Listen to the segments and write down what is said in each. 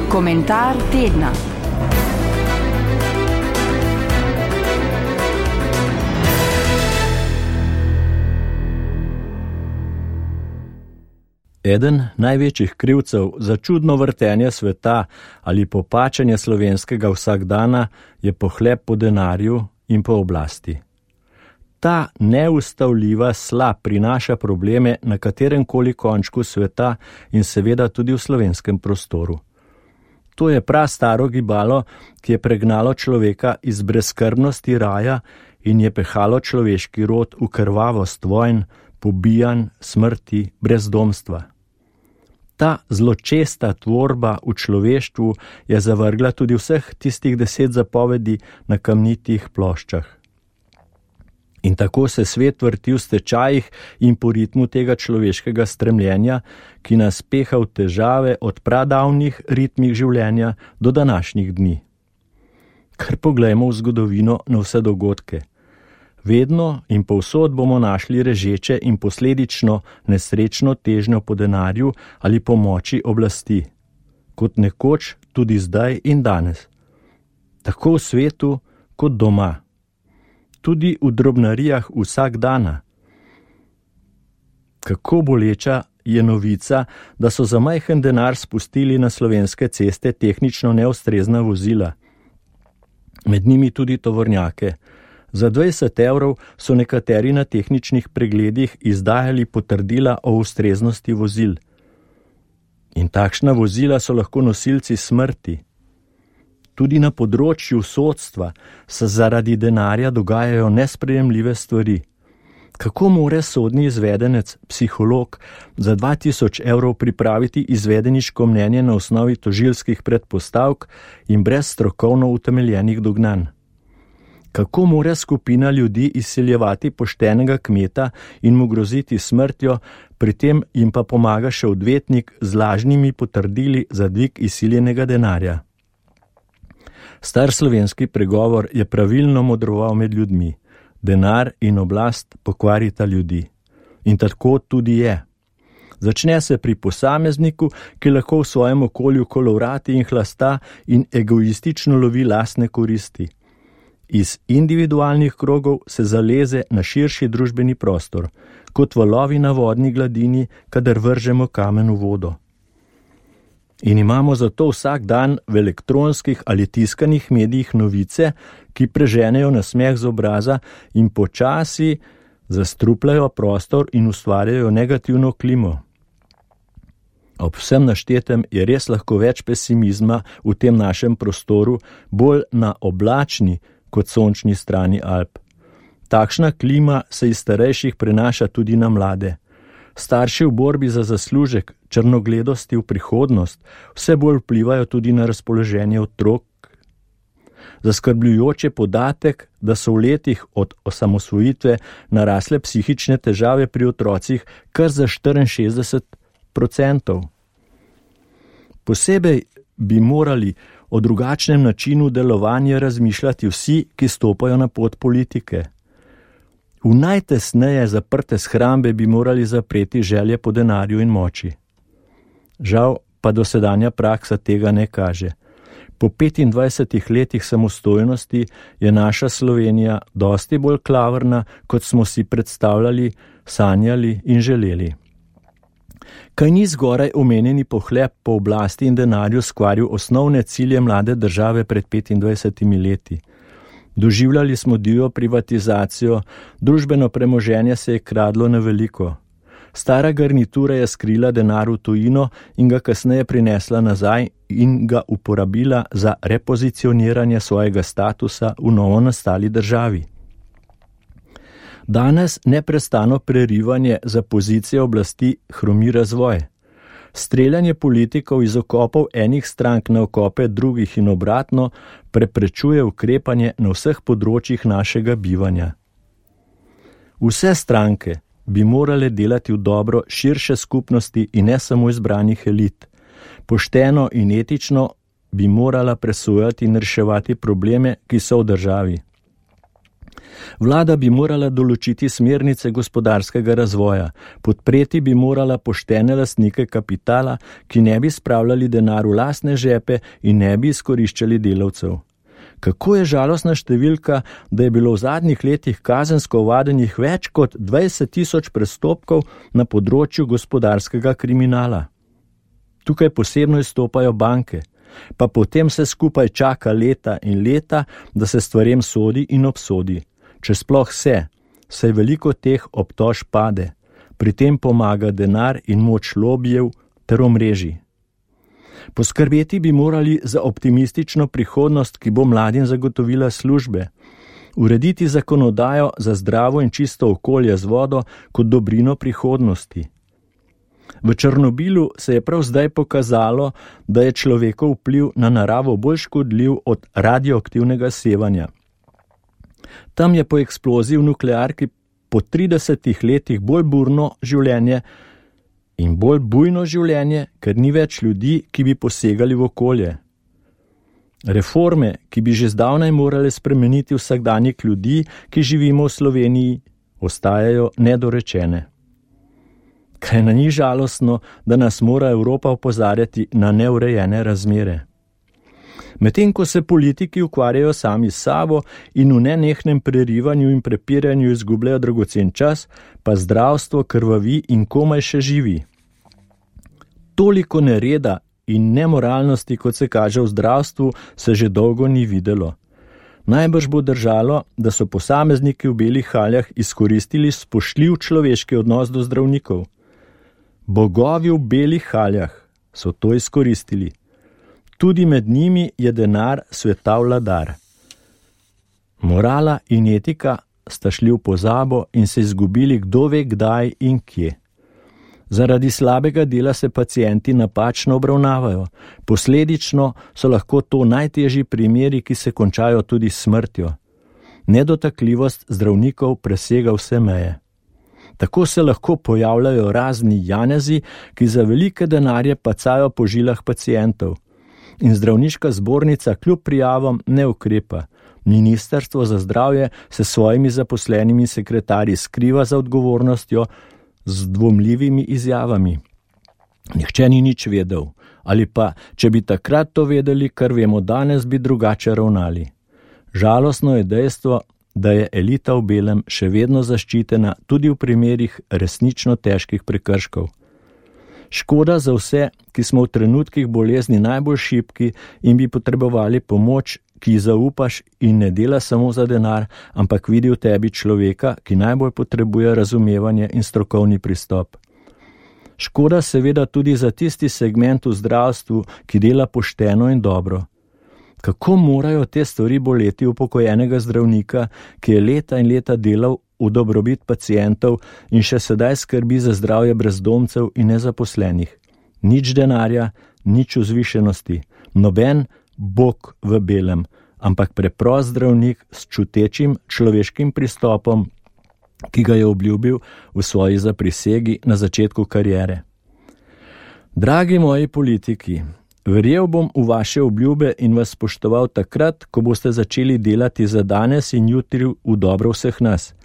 Komentar tedna. Eden največjih krivcev za čudno vrtenje sveta ali popačanje slovenskega vsakdana je pohlep po denarju in po oblasti. Ta neustavljiva sla prinaša probleme na kateremkoli končku sveta in seveda tudi v slovenskem prostoru. To je prastaro gibalo, ki je pregnalo človeka iz brezskrbnosti raja in je pehalo človeški rod v krvavost vojn, pobijanj, smrti, brezdomstva. Ta zločesta tvorba v človeštvu je zavrgla tudi vseh tistih 10 zapovedi na kamnitih ploščah. In tako se svet vrti v stečajih in po ritmu tega človeškega stremljenja, ki nas peha v težave od pradavnih ritmih življenja do današnjih dni. Kar poglejmo v zgodovino na vse dogodke. Vedno in povsod bomo našli režeče in posledično nesrečno težnjo po denarju ali pomoči oblasti, kot nekoč tudi zdaj in danes. Tako v svetu kot doma. Tudi v drobnarijah vsak dana. Kako boleča je novica, da so za majhen denar spustili na slovenske ceste tehnično neustrezna vozila. Med njimi tudi tovornjake. Za 20 evrov so nekateri na tehničnih pregledih izdajali potrdila o ustreznosti vozil. In takšna vozila so lahko nosilci smrti. Tudi na področju sodstva se zaradi denarja dogajajo nesprejemljive stvari. Kako more sodni izvedenec, psiholog, za 2000 evrov pripraviti izvedeniško mnenje na osnovi tožilskih predpostavk in brez strokovno utemeljenih dognanj? Kako more skupina ljudi izsiljevati poštenega kmeta in mu groziti smrtjo, pri tem jim pa pomaga še odvetnik z lažnimi potrdili za dvig izsiljenega denarja? Star slovenski pregovor je pravilno modroval med ljudmi. Denar in oblast pokvarita ljudi. In tako tudi je. Začne se pri posamezniku, ki lahko v svojem okolju kolovrati in hlasta in egoistično lovi lastne koristi. Iz individualnih krogov se zaleze na širši družbeni prostor, kot valovi na vodni gladini, kadar vržemo kamen v vodo. In imamo zato vsak dan v elektronskih ali tiskanih medijih novice, ki preženejo nasmeh z obraza in počasi zastrupljajo prostor in ustvarjajo negativno klimo. Ob vsem naštetem je res lahko več pesimizma v tem našem prostoru, bolj na oblačni kot sončni strani Alp. Takšna klima se iz starejših prenaša tudi na mlade. Starši v borbi za zaslužek, črnogledosti v prihodnost, vse bolj vplivajo tudi na razpoloženje otrok. Zaskrbljujoč je podatek, da so v letih od osamosvojitve narasle psihične težave pri otrocih kar za 64%. Posebej bi morali o drugačnem načinu delovanja razmišljati vsi, ki stopajo na pot politike. V najtesneje zaprte shrambe bi morali zapreti želje po denarju in moči. Žal pa dosedanja praksa tega ne kaže. Po 25 letih samostojnosti je naša Slovenija dosti bolj klavrna, kot smo si predstavljali, sanjali in želeli. Kaj ni zgoraj omenjeni pohlep po oblasti in denarju skvaril osnovne cilje mlade države pred 25 leti? Doživljali smo divjo privatizacijo, družbeno premoženje se je kradlo na veliko. Stara garnitura je skrila denar v tujino in ga kasneje prinesla nazaj in ga uporabila za repozicioniranje svojega statusa v novo nastali državi. Danes neprestano prerivanje za pozicije oblasti hromi razvoj. Streljanje politikov iz okopov enih strank na okope drugih in obratno preprečuje ukrepanje na vseh področjih našega bivanja. Vse stranke bi morale delati v dobro širše skupnosti in ne samo izbranih elit. Pošteno in etično bi morala presojati in reševati probleme, ki so v državi. Vlada bi morala določiti smernice gospodarskega razvoja, podpreti bi morala poštene lastnike kapitala, ki ne bi spravljali denar v lastne žepe in ne bi izkoriščali delavcev. Kako je žalostna številka, da je bilo v zadnjih letih kazensko ovadenih več kot 20.000 prestopkov na področju gospodarskega kriminala. Tukaj posebno izstopajo banke, pa potem se skupaj čaka leta in leta, da se stvarem sodi in obsodi. Če sploh saj veliko teh obtožb pade, pri tem pomaga denar in moč lobijev ter omrežij. Poskrbeti bi morali za optimistično prihodnost, ki bo mladim zagotovila službe, urediti zakonodajo za zdravo in čisto okolje z vodo kot dobrino prihodnosti. V Černobilu se je prav zdaj pokazalo, da je človekov vpliv na naravo bolj škodljiv od radioaktivnega sevanja. Tam je po eksploziji v nuklearki po 30 letih bolj burno življenje in bolj bujno življenje, ker ni več ljudi, ki bi posegali v okolje. Reforme, ki bi že zdavnaj morale spremeniti vsakdanjik ljudi, ki živimo v Sloveniji, ostajajo nedorečene. Kaj na njih žalostno, da nas mora Evropa opozarjati na neurejene razmere. Medtem ko se politiki ukvarjajo sami s sabo in v nenehnem prerivanju in prepiranju izgubljajo dragocen čas, pa zdravstvo krvavi in komaj še živi. Toliko nereda in nemoralnosti, kot se kaže v zdravstvu, se že dolgo ni videlo. Najbrž bo držalo, da so posamezniki v belih haljah izkoristili spoštljiv človeški odnos do zdravnikov. Bogovi v belih haljah so to izkoristili. Tudi med njimi je denar sveta vladar. Morala in etika sta šli v pozabo in se izgubili kdo ve kdaj in kje. Zaradi slabega dela se pacienti napačno obravnavajo. Posledično so lahko to najtežji primeri, ki se končajo tudi s smrtjo. Nedotakljivost zdravnikov presega vse meje. Tako se lahko pojavljajo razni janezi, ki za velike denarje pacajo po žilah pacientov. In zdravniška zbornica kljub prijavam ne ukrepa. Ministrstvo za zdravje se svojimi zaposlenimi sekretarji skriva za odgovornostjo z dvomljivimi izjavami. Nihče ni nič vedel, ali pa, če bi takrat to vedeli, kar vemo danes, bi drugače ravnali. Žalostno je dejstvo, da je elita v belem še vedno zaščitena tudi v primerih resnično težkih prekrškov. Škoda za vse, ki smo v trenutkih bolezni najbolj šibki in bi potrebovali pomoč, ki ji zaupaš in ne dela samo za denar, ampak vidi v tebi človeka, ki najbolj potrebuje razumevanje in strokovni pristop. Škoda seveda tudi za tisti segment v zdravstvu, ki dela pošteno in dobro. Kako morajo te stvari boleti upokojenega zdravnika, ki je leta in leta delal v dobrobit pacientov in še sedaj skrbi za zdravje brezdomcev in nezaposlenih. Nič denarja, nič vzvišenosti, noben Bog v belem, ampak preprost zdravnik s čutečim človeškim pristopom, ki ga je obljubil v svoji zaprisegi na začetku kariere. Dragi moji politiki, verjel bom v vaše obljube in vas spoštoval takrat, ko boste začeli delati za danes in jutri v dobro vseh nas.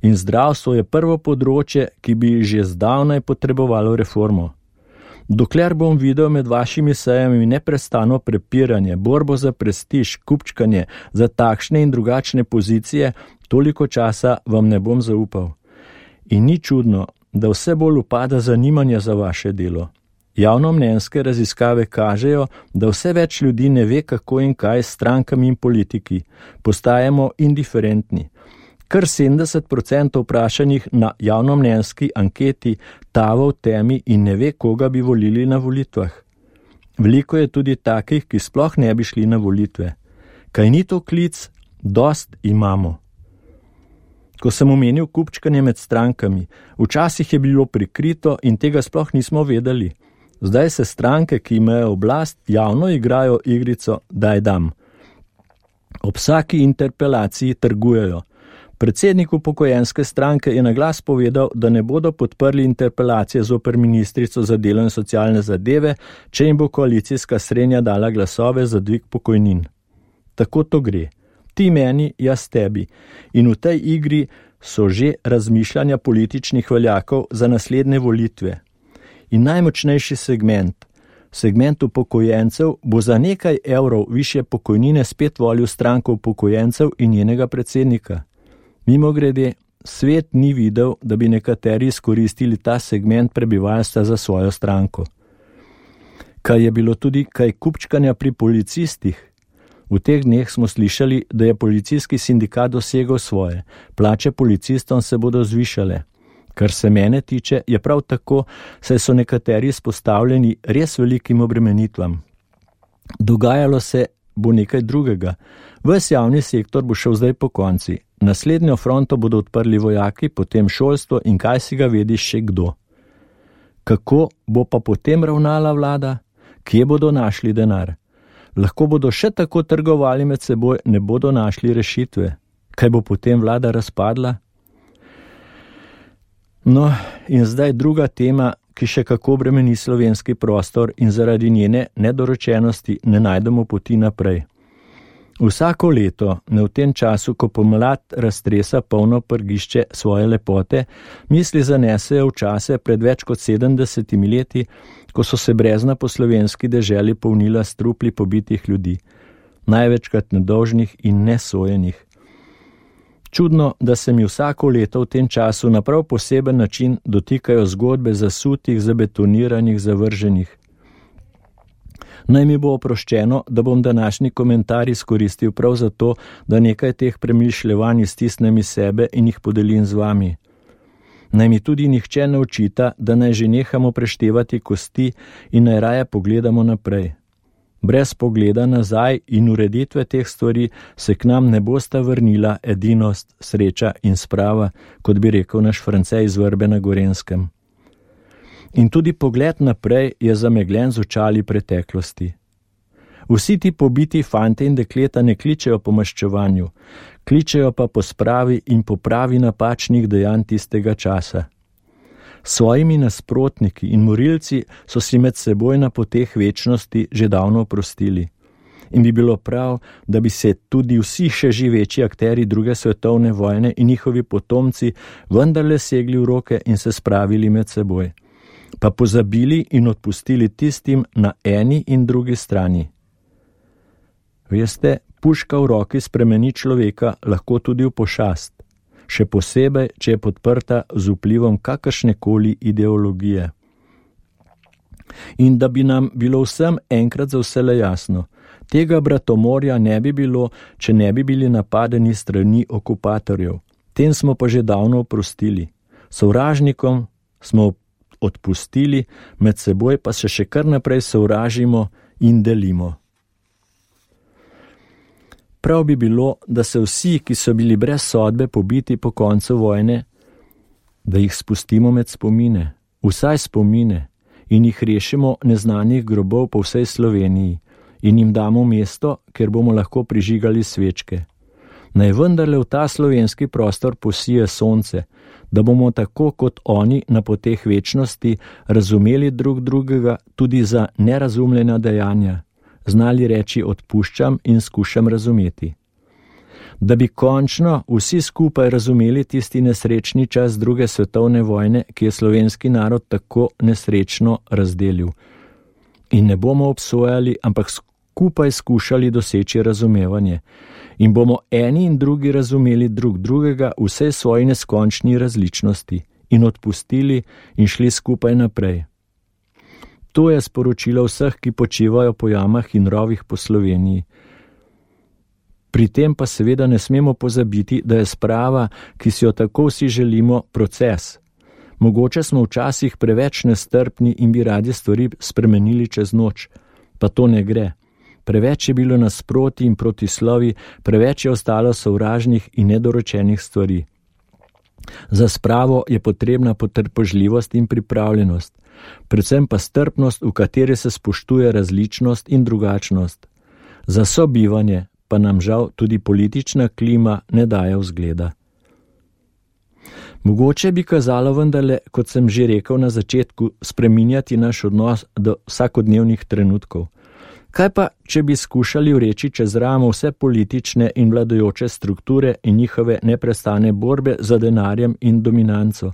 In zdravstvo je prvo področje, ki bi že zdavnaj potrebovalo reformo. Dokler bom videl med vašimi sejami neprestano prepiranje, borbo za prestiž, kupčkanje za takšne in drugačne pozicije, toliko časa vam ne bom zaupal. In ni čudno, da vse bolj upada zanimanje za vaše delo. Javnomnenjske raziskave kažejo, da vse več ljudi ne ve, kako in kaj s strankami in politiki. Postajamo indiferentni. Kar 70% vprašanih na javnomnenjski anketi tava v temi in ne ve, koga bi volili na volitvah. Veliko je tudi takih, ki sploh ne bi šli na volitve. Kaj ni to klic? Dost imamo. Ko sem omenil kupčkanje med strankami, včasih je bilo prikrito in tega sploh nismo vedeli. Zdaj se stranke, ki imajo oblast, javno igrajo igrico daj dam. Ob vsaki interpelaciji trgujejo. Predsednik upokojenske stranke je na glas povedal, da ne bodo podprli interpelacije zoper ministrico za delo in socialne zadeve, če jim bo koalicijska srednja dala glasove za dvig pokojnin. Tako to gre. ti meni, jaz tebi. In v tej igri so že razmišljanja političnih veljakov za naslednje volitve. In najmočnejši segment upokojencev, bo za nekaj evrov višje pokojnine spet volil stranko upokojencev in njenega predsednika. Mimogrede, svet ni videl, da bi nekateri izkoristili ta segment prebivalstva za svojo stranko. Kaj je bilo tudi kaj kupčkanja pri policistih? V teh dneh smo slišali, da je policijski sindikat dosegel svoje. Plače policistom se bodo zvišale. Kar se mene tiče, je prav tako, saj so nekateri izpostavljeni res velikim obremenitvam. Dogajalo se bo nekaj drugega. Ves javni sektor bo šel zdaj po konci. Naslednjo fronto bodo odprli vojaki, potem šolstvo in kaj si ga vedi še kdo. Kako bo pa potem ravnala vlada? Kje bodo našli denar? Lahko bodo še tako trgovali med seboj, ne bodo našli rešitve. Kaj bo potem vlada razpadla? No, in zdaj druga tema, ki še kako bremeni slovenski prostor in zaradi njene nedorečenosti ne najdemo poti naprej. Vsako leto, ne v tem času, ko pomlad raztresa polno prgišče svoje lepote, misli zanesejo v čase pred več kot 70 leti, ko so se brezna po slovenski deželi polnila s trupli pobitih ljudi, največkrat nedolžnih in nesojenih. Čudno, da se mi vsako leto v tem času na prav poseben način dotikajo zgodbe zasutih, zabetoniranih, zavrženih. Naj mi bo oproščeno, da bom današnji komentar izkoristil prav zato, da nekaj teh premišljevanj iztisnem iz sebe in jih podelim z vami. Naj mi tudi nihče ne očita, da naj že nehamo preštevati kosti in naj raje pogledamo naprej. Brez pogleda nazaj in ureditve teh stvari se k nam ne bosta vrnila edinost, sreča in sprava, kot bi rekel naš France iz Vrbe na Gorenjskem. In tudi pogled naprej je zamegljen z očali preteklosti. Vsi ti pobiti fante in dekleta ne kličejo po maščevanju, kličejo pa po spravi in popravi napačnih dejanj tistega časa. Svojimi nasprotniki in morilci so si med seboj na poteh večnosti že davno oprostili. In bi bilo prav, da bi se tudi vsi še živeči akteri druge svetovne vojne in njihovi potomci vendarle segli v roke in se spravili med seboj, pa pozabili in odpustili tistim na eni in drugi strani. Veste, puška v roki spremeni človeka lahko tudi v pošast, še posebej, če je podprta z vplivom kakršnekoli ideologije. In da bi nam bilo vsem enkrat za vselej jasno, tega bratomorja ne bi bilo, če ne bi bili napadeni strani okupatorjev. Tem smo pa že davno oprostili. Sovražnikom smo odpustili, med seboj pa se še kar naprej sovražimo in delimo. Prav bi bilo, da se vsi, ki so bili brez sodbe pobiti po koncu vojne, da jih spustimo med spomine, vsaj spomine, in jih rešimo neznanih grobov po vsej Sloveniji in jim damo mesto, kjer bomo lahko prižigali svečke. Naj vendarle v ta slovenski prostor posije sonce, da bomo tako kot oni na poteh večnosti razumeli drug drugega tudi za nerazumljena dejanja, znali reči odpuščam in skušam razumeti. Da bi končno vsi skupaj razumeli tisti nesrečni čas druge svetovne vojne, ki je slovenski narod tako nesrečno razdelil. In ne bomo obsojali, ampak skupaj skušali doseči razumevanje. In bomo eni in drugi razumeli drug drugega vsej svoji neskončni različnosti in odpustili in šli skupaj naprej. To je sporočilo vseh, ki počivajo po jamah in rovih po Sloveniji. Pri tem pa seveda ne smemo pozabiti, da je sprava, ki si jo tako vsi želimo, proces. Mogoče smo včasih preveč nestrpni in bi radi stvari spremenili čez noč, pa to ne gre. Preveč je bilo nasproti in protislovi, preveč je ostalo sovražnih in nedoročenih stvari. Za spravo je potrebna potrpežljivost in pripravljenost, predvsem pa strpnost, v kateri se spoštuje različnost in drugačnost. Za sobivanje pa nam žal tudi politična klima ne daje vzgleda. Mogoče bi kazalo vendarle, kot sem že rekel na začetku, spreminjati naš odnos do vsakodnevnih trenutkov. Kaj pa, če bi skušali vreči čez ramo vse politične in vladajoče strukture in njihove neprestane borbe za denarjem in dominanco?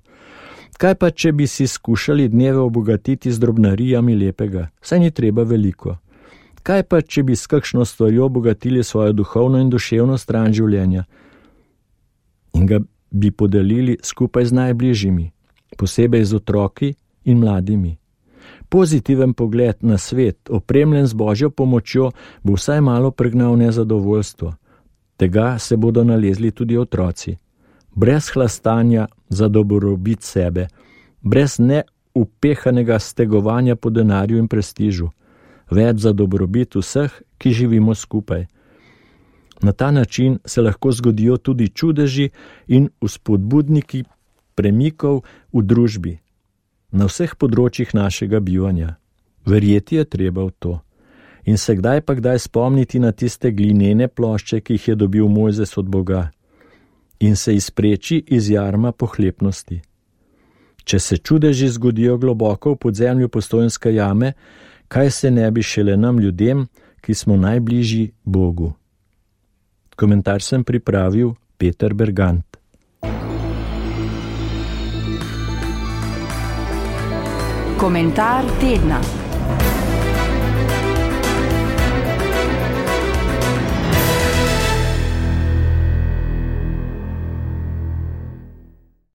Kaj pa, če bi si skušali dneve obogatiti z drobnarijami lepega? Saj ni treba veliko. Kaj pa, če bi s kakšno stvarjo obogatili svojo duhovno in duševno stran življenja in ga bi podelili skupaj z najbližjimi, posebej z otroki in mladimi? Pozitiven pogled na svet, opremljen z Božjo pomočjo, bo vsaj malo pregnal nezadovoljstvo. Tega se bodo nalezli tudi otroci. Brez hlastanja za dobrobit sebe, brez neupehanega stegovanja po denarju in prestižu, več za dobrobit vseh, ki živimo skupaj. Na ta način se lahko zgodijo tudi čudeži in vzpodbudniki premikov v družbi, na vseh področjih našega bivanja. Verjeti je treba v to in se kdaj pa kdaj spomniti na tiste glinene plošče, ki jih je dobil Mojzes od Boga, in se izpreči iz jarma pohlepnosti. Če se čudeži zgodijo globoko v podzemlju Postojnske jame, kaj se ne bi šele nam ljudem, ki smo najbližji Bogu. Komentar sem pripravil Peter Bergant. Komentar tedna.